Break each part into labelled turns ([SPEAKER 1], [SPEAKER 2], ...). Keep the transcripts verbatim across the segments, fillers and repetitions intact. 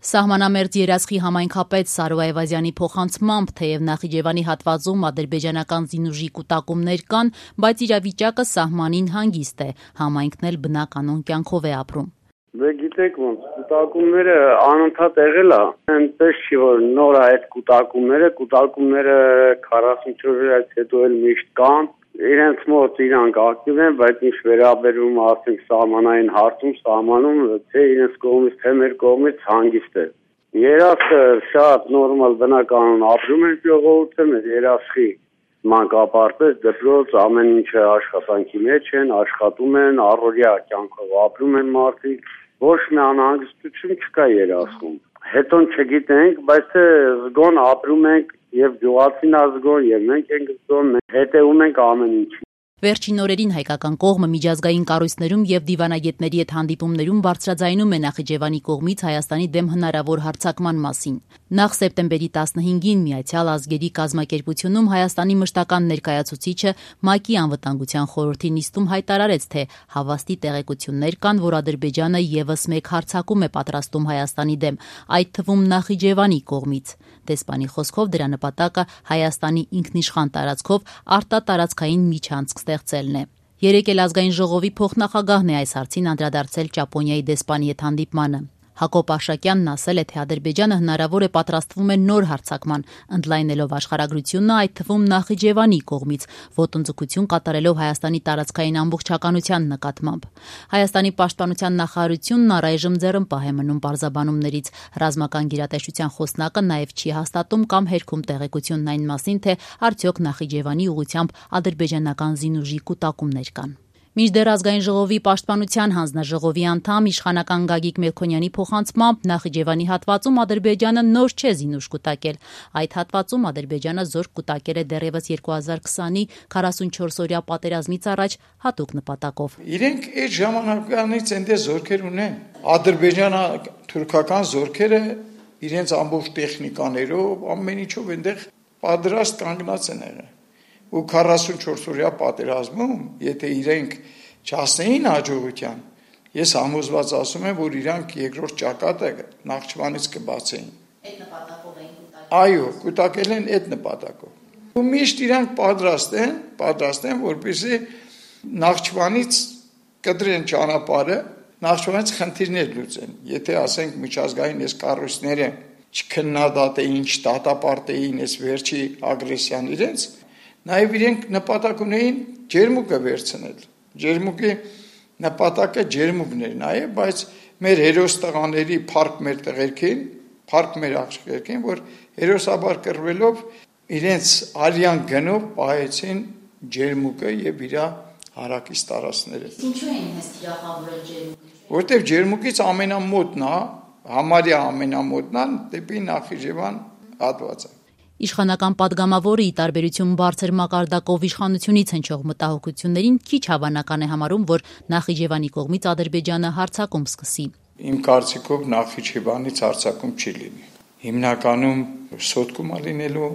[SPEAKER 1] Սահմանամերձ երասխի համայնքապետ Սարո Այվազյանի փոխանցմամբ, թեև Նախիջևանի հատվածում ադրբեջանական զինուժի կուտակումներ կան, բայց իրավիճակը սահմանին հանգիստ է, համայնքն էլ բնականոն կյանքով է ապրում։
[SPEAKER 2] Դե գիտեք ոնց, կուտակումները անընդհատ եղել է, այնպես չի որ նոր է այդ կուտակումները, կուտակումները քառասունչորս օրից հետո էլ միշտ կան, իրենց մոտ իրանք ակտիվ են, բայց ինչ վերաբերում ասենք սահմանային հարցում, սահմանում թե իրենց կողմից, թե մեր կողմից հանգիստ է։ Երասխը շատ նորմալ բնականon ապրում են ժողովուրդը, մեր երասխի մանկապարտեզ, դպրոց, ամեն ինչը աշխատանքի մեջ են, աշխատում են, առօրյա կյանքով ապրում են մարդիկ, ոչ մի անհանգստություն չկա երասխում։ Հետո չգիտենք, բայց զգոն ապրում ենք եւ գյուղացին ազգոն եւ մենք ենք զգոն, հետեւում ենք ամեն ինչին։
[SPEAKER 1] Վերջին օրերին հայկական կողմը միջազգային կառույցներում եւ դիվանագետների հետ հանդիպումներում բարձրաձայնում է Նախիջևանի կողմից Հայաստանի դեմ հնարավոր հարձակման մասին։ Նախ սեպտեմբերի տասնհինգին Միացյալ ազգերի կազմակերպությունում Հայաստանի մշտական ներկայացուցիչը ՄԱԿ-ի անվտանգության խորհրդի նիստում հայտարարեց, թե հավաստի տեղեկություններ կան, որ Ադրբեջանը եւս մեկ հարձակում է պատրաստում Հայաստանի դեմ, այդ թվում Նախիջևանի կողմից։ Դեսպանի խոսքով դրա նպատակը Հայաստանի ինքնիշխան տարածքով արտատարածքային միջանցք ստեղծելն է։ Երեկ էլ ազգային ժողովի փոխնախագահն է այս հարցին անդրադարձել Ճապոնիայի դեսպանի հետ հանդիպմանը։ Հակոբ Արշակյանն ասել է, թե Ադրբեջանը հնարավոր է պատրաստվում է նոր հարձակման, ընդլայնելով աշխարհագրությունը, այդ թվում Նախիջևանի կողմից, ոտնձգություն կատարելով Հայաստանի տարածքային ամբողջականության նկատմամբ։ Հայաստանի պաշտպանության նախարարությունն առայժմ ձեռնպահ է մնում պարզաբանումներից։ Ռազմական գերատեսչության խոսնակը նաև չի հաստատում կամ հերքում տեղեկությունն այն մասին, թե արդյոք Նախիջևանի ուղղությամբ ադրբեջանական զինուժի կուտակումներ կան։ Մինչդեռ ազգային ժողովի պաշտպանության հանձնաժողովի անդամ իշխանական Գագիկ Մելքոնյանի փոխանցմամբ Նախիջևանի հատվածում Ադրբեջանը նոր չէ զինուժ կուտակել։ Այդ հատվածում Ադրբեջանը զորք կուտակել է դեռևս երկու հազար քսանի քառասունչորս օրյա պատերազմից առաջ հատուկ նպատակով։
[SPEAKER 3] Իրենք այդ ժամանակվանից այնտեղ զորքեր ունեն։ Ադրբեջանը թուրքական զորքերը իրենց ամբողջ տեխնիկաներով, ամեն ինչով այնտեղ պատրաստ կանգնած են եղել։ Ու քառասունչորս օրյա պատերազմում, եթե իրենք չհասնեին հաջողության, ես համոզված ասում եմ, որ իրանք երկրորդ ճակատը Նախճիվանից կբացեին։
[SPEAKER 1] Այդ նպատակով էին կուտակել։
[SPEAKER 3] Այո, կուտակել են այդ նպատակով։ Ու միշտ իրանք պատրաստ են, պատրաստ են, որպեսզի Նախճիվանից կտրեն ճանապարհը, Նախճիվանից խնդիրներ լուծեն։ Եթե ասենք միջազգային այս կառույցները չքննադատեին, չդատապարտեին այս վերջի ագրեսիան իրենց, նաև իրենք նպատակ ունեին ջերմուկը վերցնել։ Ջերմուկի նպատակը ջերմուկն էր նաև, բայց մեր հերոս տղաների փառք մեր տղերքին, փառք մեր աղջիկներին, որ հերոսաբար կռվելով իրենց արյան գնով պահեցին ջերմուկը եւ իր հարակից տարածքները։
[SPEAKER 1] Ինչու էին հենց թիրախավորել ջերմուկը։
[SPEAKER 3] Որտեւ ջերմուկից ամենամոտն է, համարյա ամենամոտն է դեպի Նախիջևան հատվածը։
[SPEAKER 1] Իշխանական падգամավորը ի տարբերություն բարձր մակարդակով իշխանությունից հնչող մտահոգություններին քիչ հավանական է համարում, որ Նախիջևանի կողմից Ադրբեջանը հարձակում սկսի։
[SPEAKER 3] Իմ կարծիքով Նախիջևանից հարձակում չի լինի։ Հիմնականում Սոտկում է լինելու,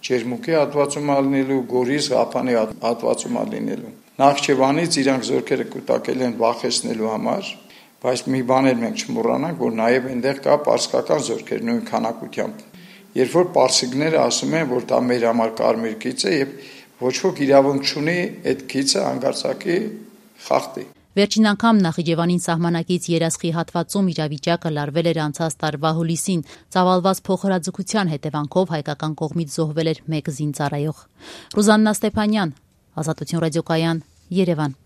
[SPEAKER 3] Ջերմուկի հատվածում է լինելու, Գորիս Ղափանի հատվածում է լինելու։ Նախիջևանից իրանք զորքերը կուտակել են վախեցնելու համար, բայց մի բան էլ մենք չմոռանանք, որ նաև այնտեղ կա պարսկական զորքեր նույն քանակությամբ։ Երբ որ պարսիկները ասում են, որ դա մեր համար կարմիր գիծ է եւ ոչ ոք իրավունք չունի այդ գիծը հանգարցակի խախտի։
[SPEAKER 1] Վերջին անգամ Նախիջևանին սահմանակից երասխի հատվածում իրավիճակը լարվել էր անցած տարվա հուլիսին, ծավալված փոխհրաձգության հետևանքով հայկական կողմից զոհվել էր մեկ զինծառայող։ Ռուզաննա Ստեփանյան, Ազատություն ռադիոկայան, Երևան։